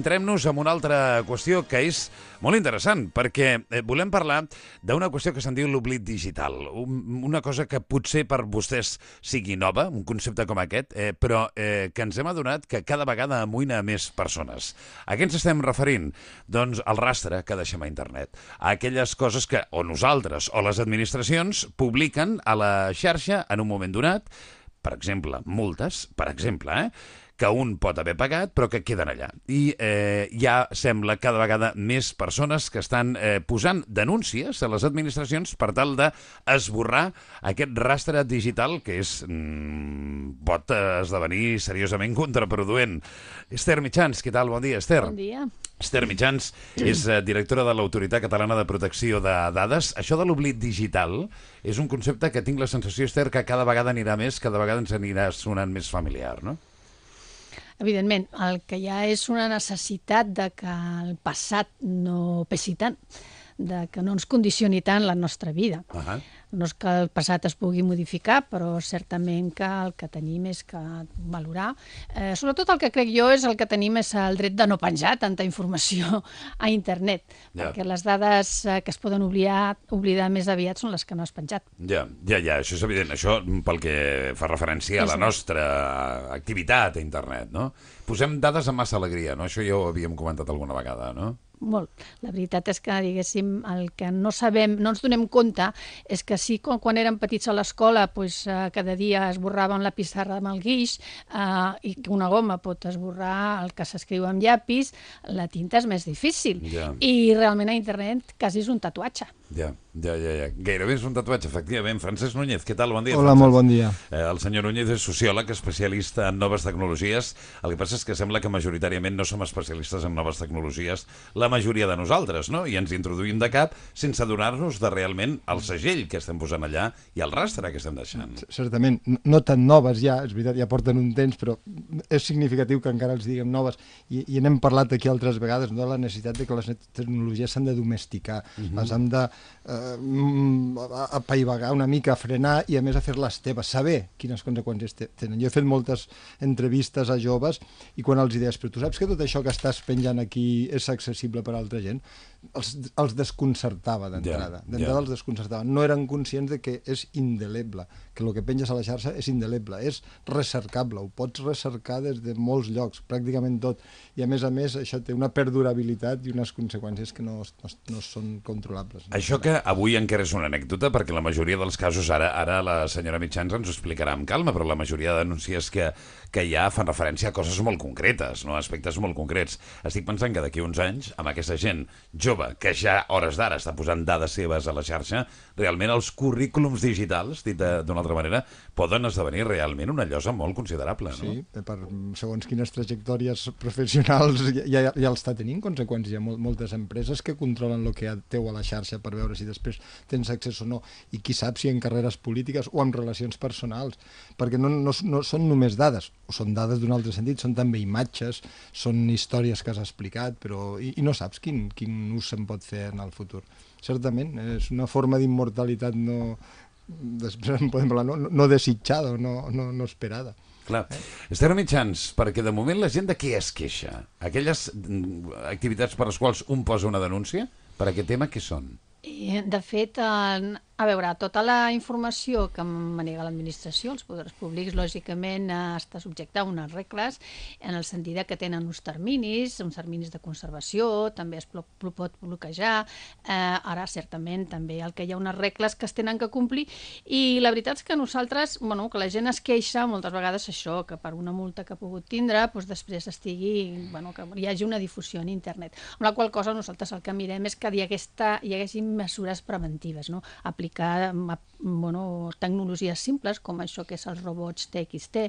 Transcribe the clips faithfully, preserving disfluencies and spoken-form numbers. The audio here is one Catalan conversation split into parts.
Centrem-nos en una altra qüestió que és molt interessant, perquè volem parlar d'una qüestió que se'n diu l'oblit digital. Una cosa que potser per vostès sigui nova, un concepte com aquest, eh, però eh, que ens hem adonat que cada vegada amoïna més persones. A què ens estem referint? Doncs al rastre que deixem a internet. A aquelles coses que o nosaltres o les administracions publiquen a la xarxa en un moment donat, per exemple, multes, per exemple, eh? que un pot haver pagat, però que queden allà. I eh, ja sembla cada vegada més persones que estan eh, posant denúncies a les administracions per tal d'esborrar aquest rastre digital que és, mm, pot esdevenir seriosament contraproduent. Esther Mitjans, què tal? Bon dia, Esther. Bon dia. Esther Mitjans és eh, directora de l'Autoritat Catalana de Protecció de Dades. Això de l'oblit digital és un concepte que tinc la sensació, Esther, que cada vegada anirà més, cada vegada ens anirà sonant més familiar, no? Evidentment, el que hi ha és una necessitat de que el passat no pesi tant, de que no ens condicioni tant la nostra vida. Uh-huh. No és que el passat es pugui modificar, però certament que el que tenim és que valorar. Eh, sobretot el que crec jo és el que tenim és el dret de no penjar tanta informació a internet, yeah. perquè les dades que es poden oblidar, oblidar més aviat són les que no has penjat. Ja, ja, ja, això és evident. Això pel que fa referència a la nostra activitat a internet, no? Posem dades amb massa alegria, no? Això ja ho havíem comentat alguna vegada, no? Molt. La veritat és que, diguéssim, el que no sabem, no ens donem compte, és que sí, quan, quan érem petits a l'escola, pues, eh, cada dia esborraven la pissarra amb el guix, eh, i que una goma pot esborrar el que s'escriu amb llapis, la tinta és més difícil. Yeah. I realment a internet quasi és un tatuatge. Ja, ja, ja, ja. Gairebé és un tatuatge, efectivament. Francesc Núñez, què tal? Bon dia. Hola, Francesc. molt bon dia. Eh, el senyor Núñez és sociòleg, especialista en noves tecnologies. El que passa és que sembla que majoritàriament no som especialistes en noves tecnologies, la majoria de nosaltres, no? I ens introduïm de cap sense adonar-nos de realment el segell que estem posant allà i el rastre que estem deixant. Certament, no tan noves ja, és veritat, ja porten un temps, però és significatiu que encara els diguem noves. I, i n'hem parlat aquí altres vegades, no? La necessitat de que les tecnologies s'han de domesticar, uh-huh. les hem de eh, apaivagar una mica, frenar i a més a fer-les teves, saber quines conseqüències tenen. Jo he fet moltes entrevistes a joves i quan els deies, però tu saps que tot això que estàs penjant aquí és accessible per a altra gent? Els, els desconcertava d'entrada. Yeah, d'entrada yeah. els desconcertava. No eren conscients de que és indeleble, que el que penges a la xarxa és indeleble, és recercable, ho pots recercar des de molts llocs, pràcticament tot. I a més a més això té una perdurabilitat i unes conseqüències que no, no, no són controlables. No? Això que avui encara és una anècdota, perquè la majoria dels casos, ara, ara la senyora Mitjans ens ho explicarà amb calma, però la majoria de denúncies que, que hi ha fan referència a coses molt concretes, no? A aspectes molt concrets. Estic pensant que d'aquí uns anys, amb aquesta gent jove, que ja a hores d'ara està posant dades seves a la xarxa, realment els currículums digitals, dit d'una altra manera, poden esdevenir realment una llosa molt considerable, no? Sí, per segons quines trajectòries professionals ja, ja, ja està tenint conseqüències. Hi ha moltes empreses que controlen el que teu a la xarxa per veure si després tens accés o no, i qui sap si en carreres polítiques o en relacions personals, perquè no, no, no són només dades, o són dades d'un altre sentit, són també imatges, són històries que has explicat, però i, i no saps quin, quin ús se'n pot fer en el futur. Certament, és una forma d'immortalitat no, després en podem parlar, no, no desitjada o no, no, no esperada. Clar. Eh? Esther Mitjans, perquè de moment la gent de què es queixa? Aquelles activitats per les quals un posa una denúncia, per aquest tema, què són? I, de fet, en... A veure, tota la informació que manega l'administració, els poders públics, lògicament està subjecta a unes regles en el sentit que tenen uns terminis, uns terminis de conservació, també es pot bloquejar, eh, ara certament també el que hi ha unes regles que es tenen que complir i la veritat és que nosaltres, bueno, que la gent es queixa moltes vegades això, que per una multa que ha pogut tindre, doncs després estigui, bueno, que hi hagi una difusió en internet, amb la qual cosa nosaltres el que mirem és que hi haguesta, hi haguessin mesures preventives, no? Aplicar bueno, tecnologies simples com això que és els robots T X T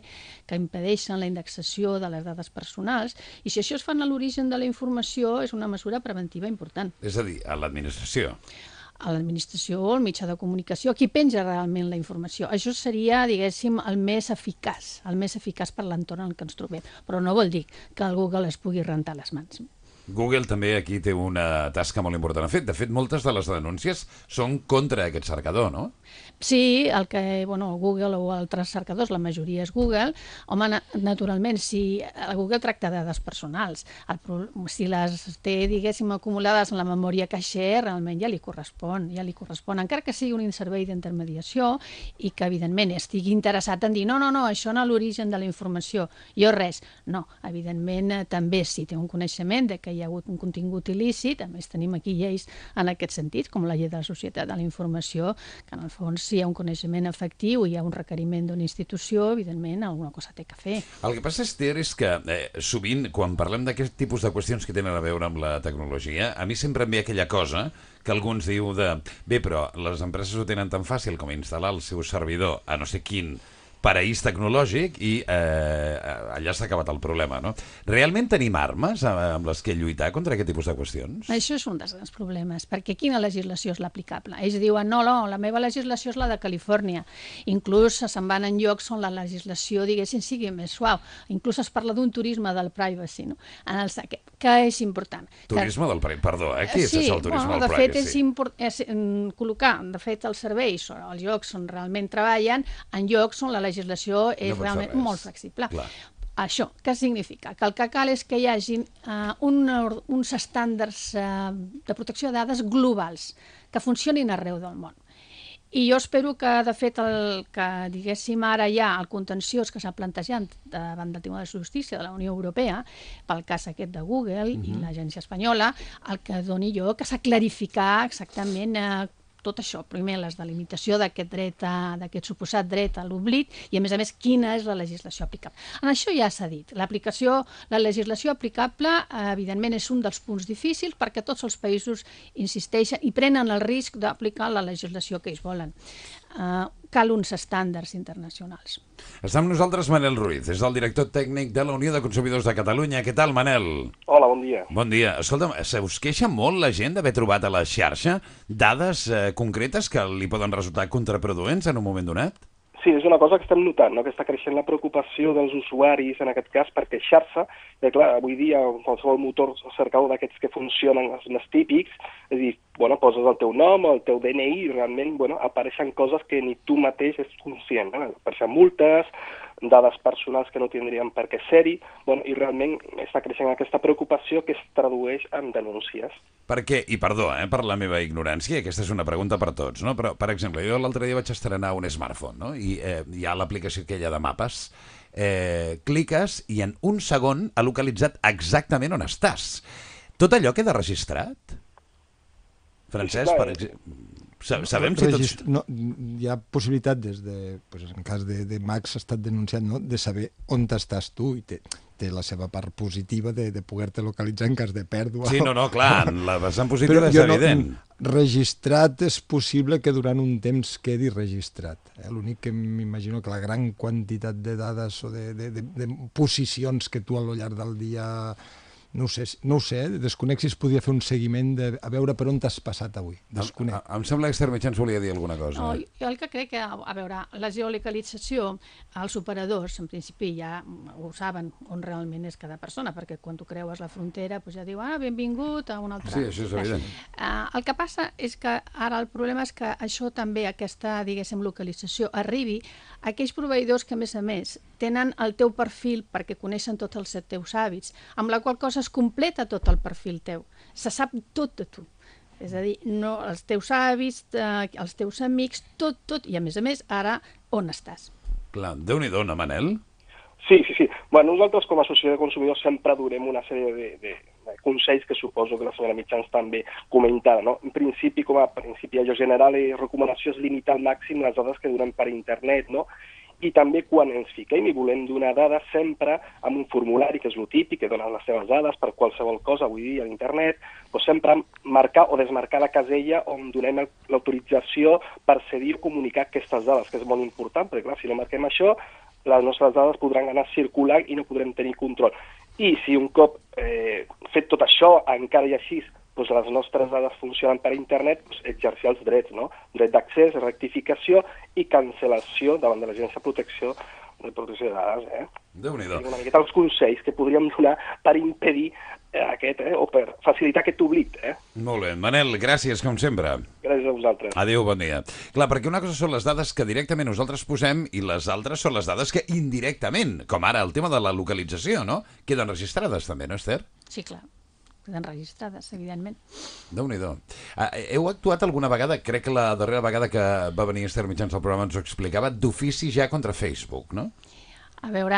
que impedeixen la indexació de les dades personals i si això es fan a l'origen de la informació és una mesura preventiva important. És a dir, a l'administració. A l'administració o al mitjà de comunicació, qui penja realment la informació. Això seria, diguéssim, el més eficaç, el més eficaç per l'entorn en què ens trobem. Però no vol dir que el Google es pugui rentar les mans. Google també aquí té una tasca molt important a fer. De fet, moltes de les denúncies són contra aquest cercador, no? Sí, el que, bueno, Google o altres cercadors, la majoria és Google. Home, na naturalment, si Google tracta dades personals, el pro si les té, diguéssim, acumulades en la memòria caixer, realment ja li correspon, ja li correspon, encara que sigui un servei d'intermediació i que, evidentment, estigui interessat en dir no, no, no, això no l'origen de la informació, jo res. No, evidentment, també si té un coneixement de que hi ha hagut un contingut il·lícit, a més tenim aquí lleis en aquest sentit, com la llei de la societat de la informació, que en el fons si hi ha un coneixement efectiu i hi ha un requeriment d'una institució, evidentment alguna cosa té que fer. El que passa, Esther, és que eh, sovint quan parlem d'aquest tipus de qüestions que tenen a veure amb la tecnologia, a mi sempre em ve aquella cosa que alguns diu de bé, però les empreses ho tenen tan fàcil com instal·lar el seu servidor a no sé quin paraís tecnològic i eh, allà s'ha acabat el problema, no? Realment tenim armes amb les que lluitar contra aquest tipus de qüestions? Això és un dels grans problemes, perquè quina legislació és l'aplicable? Ells diuen, no, no, la meva legislació és la de Califòrnia. Inclús se'n van en llocs on la legislació, diguéssim, sigui més suau. Inclús es parla d'un turisme del privacy, no? En el, que, que és important. Turisme que... del privacy, perdó, eh? Què és sí, això, el turisme bueno, del de privacy? fet, és, import... és mm, col·locar, de fet, els serveis o els llocs on realment treballen en llocs on la legislació és no realment molt flexible. Clar. Això, què significa? Que el que cal és que hi hagi uh, un, uns estàndards uh, de protecció de dades globals que funcionin arreu del món. I jo espero que, de fet, el que diguéssim ara ja el contenciós que s'ha plantejat davant del Tribunal de Justícia de la Unió Europea, pel cas aquest de Google uh-huh. i l'agència espanyola, el que doni jo que s'ha clarificar exactament eh, tot això, primer les delimitació d'aquest dret, d'aquest suposat dret a l'oblit i, a més a més, quina és la legislació aplicable. En això ja s'ha dit. L'aplicació, la legislació aplicable, eh, evidentment, és un dels punts difícils perquè tots els països insisteixen i prenen el risc d'aplicar la legislació que ells volen. Eh, cal uns estàndards internacionals. Està amb nosaltres Manel Ruiz, és el director tècnic de la Unió de Consumidors de Catalunya. Què tal, Manel? Hola, bon dia. Bon dia. Escolta'm, se us queixa molt la gent d'haver trobat a la xarxa dades eh, concretes que li poden resultar contraproduents en un moment donat? Sí, és una cosa que estem notant, no? Que està creixent la preocupació dels usuaris en aquest cas per queixar-se. I clar, avui dia qualsevol motor cercador d'aquests que funcionen, els més típics, és a dir, bueno, poses el teu nom, el teu D N I i realment bueno, apareixen coses que ni tu mateix ets conscient. No? Apareixen multes, dades personals que no tindrien per què ser-hi, bueno, i realment està creixent aquesta preocupació que es tradueix en denúncies. Per què? I perdó, eh, per la meva ignorància, aquesta és una pregunta per tots, no? Però, per exemple, jo l'altre dia vaig estrenar un smartphone, no? I eh, hi ha l'aplicació aquella de mapes, eh, cliques i en un segon ha localitzat exactament on estàs. Tot allò queda registrat? Francesc, per exemple... Sabem si tots... No, hi ha possibilitat des de, pues, en cas de, de Max ha estat denunciat, no? De saber on estàs tu i té, té la seva part positiva de, de poder-te localitzar en cas de pèrdua. Sí, no, no, clar, la vessant positiva és evident. No, registrat és possible que durant un temps quedi registrat. Eh? L'únic que m'imagino que la gran quantitat de dades o de, de, de, de posicions que tu al llarg del dia... No ho sé, no ho sé, desconec si es podia fer un seguiment de, a veure per on t'has passat avui. Desconec. Em, em sembla que Esther Mitjans volia dir alguna cosa. No, jo el que crec que, a veure, la geolocalització, els operadors, en principi ja ho saben on realment és cada persona, perquè quan tu creues la frontera doncs ja diu, ah, benvingut a un altre... Sí, això és evident. Uh, el que passa és que ara el problema és que això també, aquesta, diguéssim, localització, arribi a aquells proveïdors que, a més a més, tenen el teu perfil perquè coneixen tots els teus hàbits, amb la qual cosa es completa tot el perfil teu. Se sap tot de tu. És a dir, no, els teus hàbits, eh, els teus amics, tot, tot. I a més a més, ara, on estàs? Clar, Déu-n'hi-do, no, Manel? Sí, sí, sí. Bueno, nosaltres com a associació de consumidors sempre durem una sèrie de, de, de consells que suposo que la senyora Mitjans també comentava, no? En principi, com a principi allò general i recomanació és limitar al màxim les dades que donem per internet, no? I també quan ens fiquem i volem donar dades sempre amb un formulari, que és el típic, que donen les seves dades per qualsevol cosa avui dia a internet, doncs sempre marcar o desmarcar la casella on donem l'autorització per cedir o comunicar aquestes dades, que és molt important, perquè clar, si no marquem això, les nostres dades podran anar circulant i no podrem tenir control. I si un cop eh, fet tot això, encara i així, doncs les nostres dades funcionen per internet, doncs exercir els drets, no? Dret d'accés, rectificació i cancel·lació davant de l'Agència de Protecció de Protecció de Dades, eh? Déu-n'hi-do. Una miqueta els consells que podríem donar per impedir eh, aquest, eh, o per facilitar aquest oblit. Eh? Molt bé. Manel, gràcies, com sempre. Gràcies a vosaltres. Adéu, bon dia. Clar, perquè una cosa són les dades que directament nosaltres posem i les altres són les dades que indirectament, com ara el tema de la localització, no? Queden registrades també, no, Esther? Sí, clar. Queden registrades, evidentment. Déu-n'hi-do. Ah, heu actuat alguna vegada, crec que la darrera vegada que va venir Esther Mitjans al programa ens ho explicava, d'ofici ja contra Facebook, no? A veure,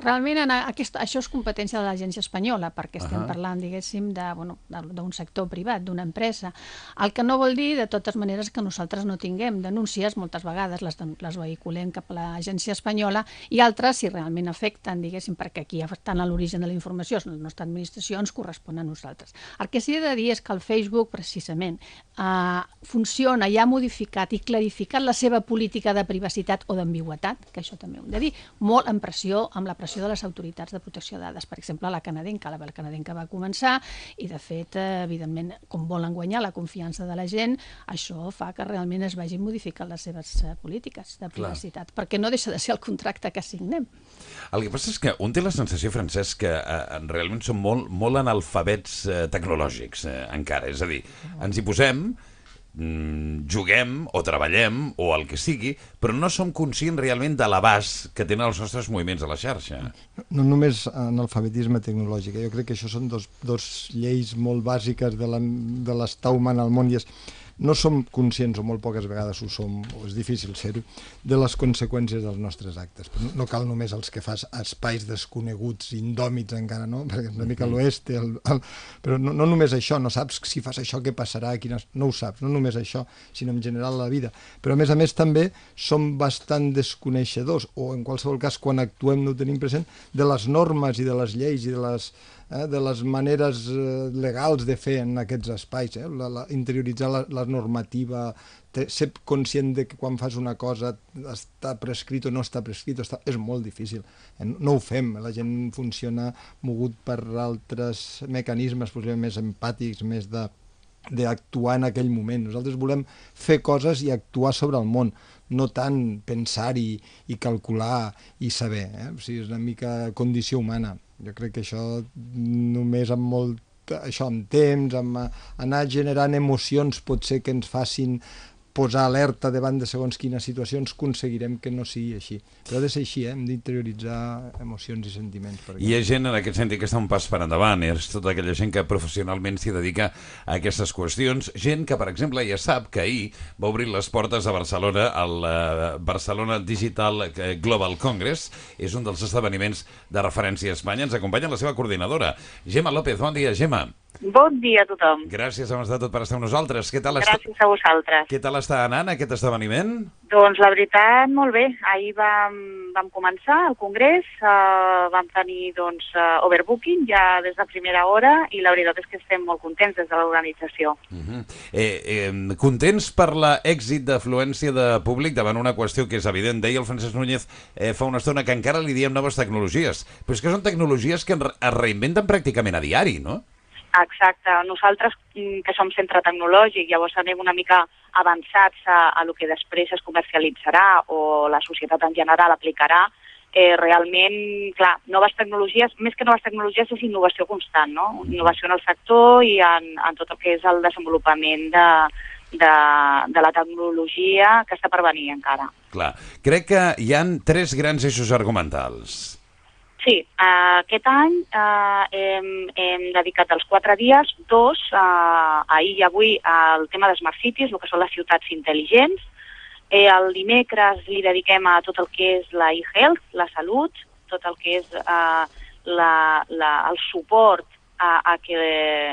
realment en aquest, això és competència de l'agència espanyola, perquè estem uh -huh. parlant, diguéssim, de, bueno, d'un sector privat, d'una empresa. El que no vol dir, de totes maneres, que nosaltres no tinguem denúncies, moltes vegades les, les vehiculem cap a l'agència espanyola, i altres, si realment afecten, diguéssim, perquè aquí estan a l'origen de la informació, la nostra administració, ens correspon a nosaltres. El que sí he de dir és que el Facebook, precisament, eh, funciona i ha modificat i clarificat la seva política de privacitat o d'ambigüetat, que això també ho hem de dir, molt en pressió, amb la pressió de les autoritats de protecció de dades. Per exemple, la canadenca, la canadenca va començar i, de fet, evidentment, com volen guanyar la confiança de la gent, això fa que realment es vagin modificant les seves polítiques de privacitat, Clar. perquè no deixa de ser el contracte que signem. El que passa és que un té la sensació, Francesc, que eh, realment som molt, molt analfabets eh, tecnològics eh, encara. És a dir, ens hi posem, juguem o treballem o el que sigui, però no som conscients realment de l'abast que tenen els nostres moviments a la xarxa. No, no només analfabetisme tecnològic, jo crec que això són dos, dos lleis molt bàsiques de l'estar humà al món, i és no som conscients, o molt poques vegades ho som, o és difícil ser-ho, de les conseqüències dels nostres actes. Però no cal només els que fas a espais desconeguts, indòmits encara, no? Perquè una mica l'oest, el, el... però no, no només això, no saps si fas això què passarà, quines... no ho saps, no només això, sinó en general la vida. Però a més a més també som bastant desconeixedors, o en qualsevol cas quan actuem no ho tenim present, de les normes i de les lleis i de les Eh, de les maneres eh, legals de fer en aquests espais, eh? la, la, interioritzar la, la normativa, te, ser conscient de que quan fas una cosa està prescrit o no està prescrit, està, és molt difícil. Eh? No ho fem, la gent funciona mogut per altres mecanismes, possiblement més empàtics, més de d'actuar en aquell moment. Nosaltres volem fer coses i actuar sobre el món, no tant pensar-hi i calcular i saber. Eh? O sigui, és una mica condició humana. Jo crec que això només amb molt, això amb temps, amb anar generant emocions potser que ens facin posar alerta davant de segons quines situacions, aconseguirem que no sigui així. Però ha de ser així, eh? Hem d'interioritzar emocions i sentiments. Perquè... Hi ha gent en aquest sentit que està un pas per endavant, és tota aquella gent que professionalment s'hi dedica a aquestes qüestions, gent que, per exemple, ja sap que ahir va obrir les portes a Barcelona, al uh, Barcelona Digital Global Congress, és un dels esdeveniments de referència a Espanya. Ens acompanya la seva coordinadora, Gemma López. Bon dia, Gemma. Bon dia a tothom. Gràcies, abans de tot, per estar amb nosaltres. Què tal Gràcies està... a vosaltres. Què tal està anant aquest esdeveniment? Doncs la veritat, molt bé. Ahir vam, vam començar el congrés, uh, vam tenir doncs, uh, overbooking ja des de primera hora i la veritat és que estem molt contents des de l'organització. Uh -huh. eh, eh, contents per l'èxit d'afluència de públic davant una qüestió que és evident. Deia el Francesc Núñez eh, fa una estona que encara li diem noves tecnologies, però és que són tecnologies que es reinventen pràcticament a diari, no? Exacte. Nosaltres, que som centre tecnològic, llavors anem una mica avançats a, a lo que després es comercialitzarà o la societat en general aplicarà, eh, realment, clar, noves tecnologies, més que noves tecnologies és innovació constant, no? Innovació en el sector i en, en tot el que és el desenvolupament de, de, de la tecnologia que està per venir encara. Clar. Crec que hi han tres grans eixos argumentals. Sí, uh, aquest any uh, hem, hem dedicat els quatre dies, dos, uh, ahir i avui, al tema de Smart Cities, el que són les ciutats intel·ligents. Eh, el dimecres li dediquem a tot el que és la e-health, la salut, tot el que és uh, la, la, el suport a, a, que,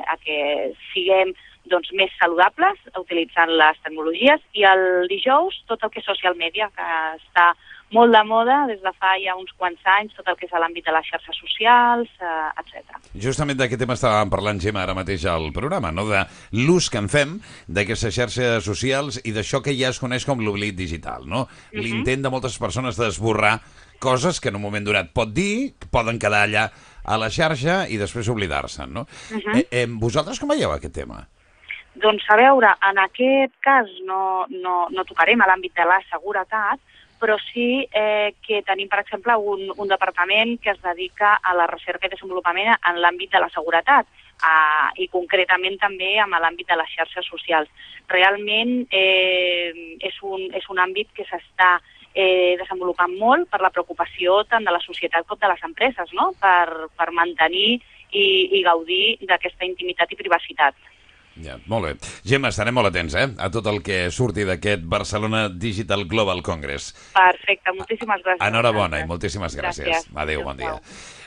a que siguem doncs, més saludables utilitzant les tecnologies, i el dijous tot el que és social media, que està molt de moda des de fa ja uns quants anys, tot el que és a l'àmbit de les xarxes socials, eh, etcètera. Justament d'aquest tema estàvem parlant, Gemma, ara mateix al programa, no? De l'ús que en fem d'aquestes xarxes socials i d'això que ja es coneix com l'oblit digital, no? Uh-huh. L'intent de moltes persones d'esborrar coses que en un moment donat pot dir, poden quedar allà a la xarxa i després oblidar-se'n, no? Uh-huh. eh, eh, vosaltres com veieu aquest tema? Doncs a veure, en aquest cas no, no, no tocarem a l'àmbit de la seguretat, però sí eh, que tenim, per exemple, un, un departament que es dedica a la recerca i desenvolupament en l'àmbit de la seguretat eh, i concretament també en l'àmbit de les xarxes socials. Realment eh, és, un, és un àmbit que s'està eh, desenvolupant molt per la preocupació tant de la societat com de les empreses, no? per, per mantenir i, i gaudir d'aquesta intimitat i privacitat. Ja, molt bé. Gemma, estarem molt atents eh? a tot el que surti d'aquest Barcelona Digital Global Congress. Perfecte, moltíssimes gràcies. Enhorabona i moltíssimes gràcies. gràcies. Adéu, bon dia.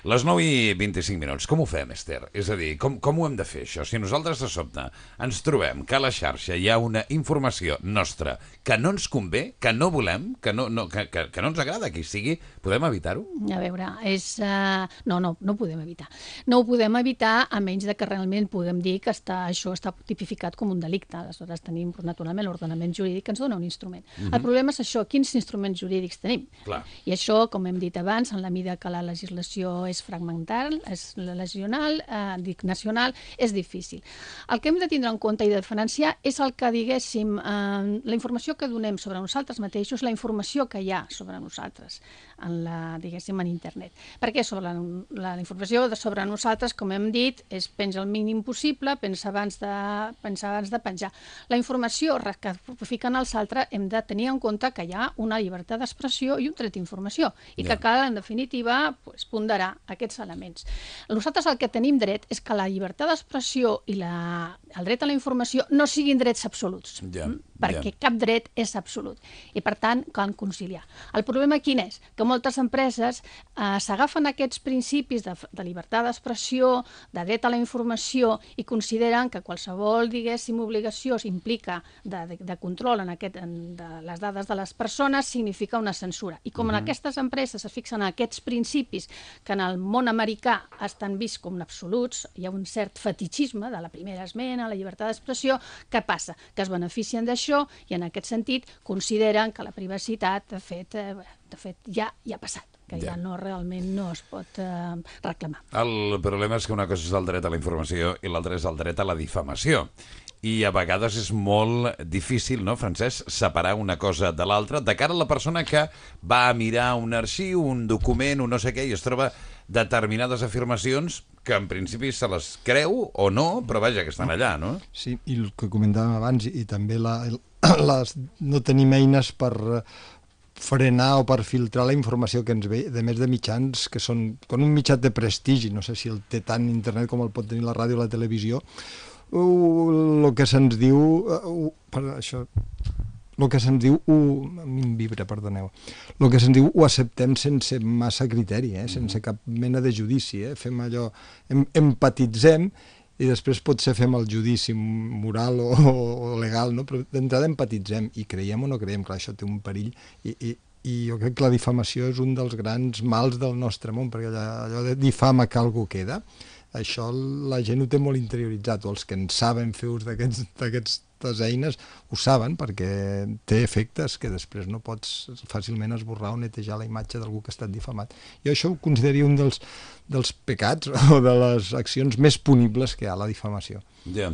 Les nou i vint-i-cinc minuts. Com ho fem, Esther? És a dir, com, com ho hem de fer, això? Si nosaltres de sobte ens trobem que a la xarxa hi ha una informació nostra que no ens convé, que no volem, que no, no, que, que, que no ens agrada que hi sigui, podem evitar-ho? A veure, és... Uh... No, no, no ho podem evitar. No ho podem evitar a menys de que realment puguem dir que està, això està tipificat com un delicte. Aleshores tenim, doncs, naturalment, l'ordenament jurídic que ens dona un instrument. Uh-huh. El problema és això, quins instruments jurídics tenim? Clar. I això, com hem dit abans, en la mida que la legislació és fragmental, és lesional, eh, dic nacional, és difícil. El que hem de tindre en compte i de diferenciar és el que, diguéssim, eh, la informació que donem sobre nosaltres mateixos, la informació que hi ha sobre nosaltres, en la, diguéssim, en internet. Perquè sobre la, la, la informació de sobre nosaltres, com hem dit, és penja el mínim possible, pensa abans de, pensa abans de penjar. La informació que fiquen els altres hem de tenir en compte que hi ha una llibertat d'expressió i un dret d'informació, i que cal, en definitiva, pues, ponderar aquests elements. Nosaltres el que tenim dret és que la llibertat d'expressió i la, el dret a la informació no siguin drets absoluts, ja, perquè ja. cap dret és absolut, i per tant cal conciliar. El problema quin és? Que moltes empreses eh, s'agafen aquests principis de, de llibertat d'expressió, de dret a la informació, i consideren que qualsevol, diguéssim, obligació implica de, de, de control en aquest, en, de les dades de les persones significa una censura. I com mm-hmm. en aquestes empreses es fixen en aquests principis que en el món americà estan vists com absoluts, hi ha un cert fetichisme de la primera esmena, la llibertat d'expressió, què passa? Que es beneficien d'això i en aquest sentit consideren que la privacitat, de fet, eh, de fet ja, ja ha passat, que ja, ja no, realment no es pot eh, reclamar. El problema és que una cosa és el dret a la informació i l'altra és el dret a la difamació. I a vegades és molt difícil, no, Francesc, separar una cosa de l'altra de cara a la persona que va a mirar un arxiu, un document, un no sé què, i es troba determinades afirmacions que en principi se les creu o no, però vaja, que estan allà, no? Sí, i el que comentàvem abans, i, i també la, les, no tenim eines per frenar o per filtrar la informació que ens ve, de més de mitjans que són, com un mitjà de prestigi, no sé si el té tant internet com el pot tenir la ràdio o la televisió, el que se'ns diu, uh, per això, el que se'ns diu, uh, a mi em vibra, perdoneu, el que se'ns diu ho acceptem sense massa criteri, eh? Sense cap mena de judici, eh? Fem allò, em, empatitzem i després potser fem el judici moral o, o legal, no? Però d'entrada empatitzem i creiem o no creiem, clar, això té un perill i, i, i jo crec que la difamació és un dels grans mals del nostre món, perquè allò, allò de difama que algú queda, això la gent ho té molt interioritzat, o els que en saben fer ús d'aquestes eines ho saben, perquè té efectes que després no pots fàcilment esborrar o netejar la imatge d'algú que ha estat difamat. Jo això ho consideraria un dels, dels pecats o de les accions més punibles que hi ha, la difamació. Ja.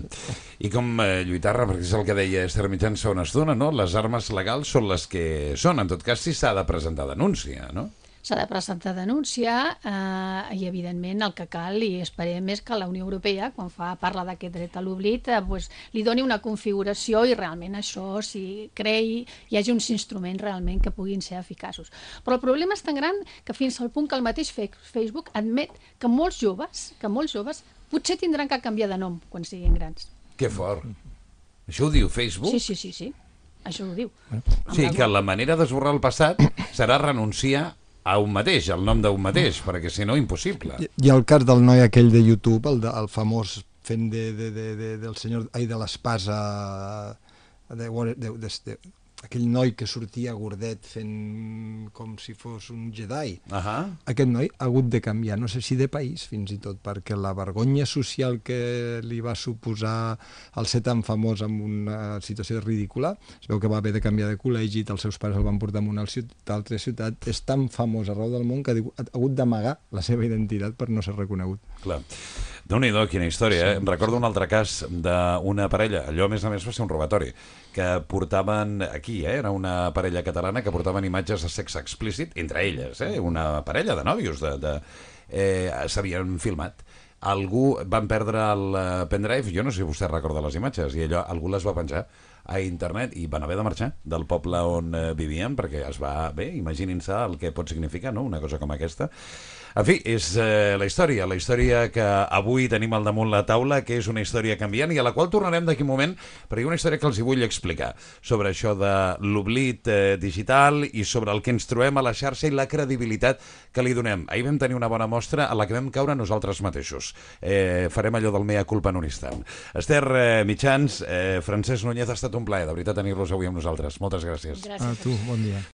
I com eh, lluitar-la, perquè és el que deia Esther Mitjans fa una estona, no? Les armes legals són les que són, en tot cas si s'ha de presentar denúncia, no? S'ha de presentar denúncia eh, i, evidentment, el que cal, i esperem, és que la Unió Europea, quan fa parla d'aquest dret a l'oblit, eh, pues, li doni una configuració i realment això s'hi creï, hi hagi uns instruments realment que puguin ser eficaços. Però el problema és tan gran que fins al punt que el mateix Facebook admet que molts joves, que molts joves potser tindran que canviar de nom quan siguin grans. Que fort. Això ho diu Facebook? Sí, sí, sí, sí. Això ho diu. O sigui que la manera d'esborrar el passat serà renunciar a un mateix, al nom d'un mateix, perquè si no, impossible. I, i el cas del noi aquell de YouTube, el, de, el famós fent de, de, de, de, del senyor, ai, de l'espasa, de, de, de, de, aquell noi que sortia gordet fent com si fos un Jedi. Uh-huh. Aquest noi ha hagut de canviar, no sé si de país fins i tot, perquè la vergonya social que li va suposar el ser tan famós en una situació ridícula, es veu que va haver de canviar de col·legi, els seus pares el van portar a una altra ciutat, és tan famós arreu del món que ha hagut d'amagar la seva identitat per no ser reconegut. Clar. Déu-n'hi-do, quina història, eh? Sí, recordo sí. un altre cas d'una parella, allò a més a més va ser un robatori, que portaven, aquí aquí, eh? Era una parella catalana que portaven imatges de sexe explícit, entre elles, eh? Una parella de nòvios, de, de, eh, s'havien filmat. Algú van perdre el pendrive, jo no sé si vostè recorda les imatges, i allò algú les va penjar a internet i van haver de marxar del poble on eh, vivien, perquè es va... Bé, imaginin-se el que pot significar, no?, una cosa com aquesta. En fi, és eh, la història, la història que avui tenim al damunt la taula, que és una història canviant i a la qual tornarem d'aquí un moment, perquè hi ha una història que els hi vull explicar sobre això de l'oblit eh, digital i sobre el que ens trobem a la xarxa i la credibilitat que li donem. Ahir vam tenir una bona mostra a la que vam caure nosaltres mateixos. Eh, farem allò del mea culpa en un instant. Esther eh, Mitjans, eh, Francesc Núñez, ha estat un plaer, de veritat, tenir-los avui amb nosaltres. Moltes gràcies. Gràcies. A tu, bon dia.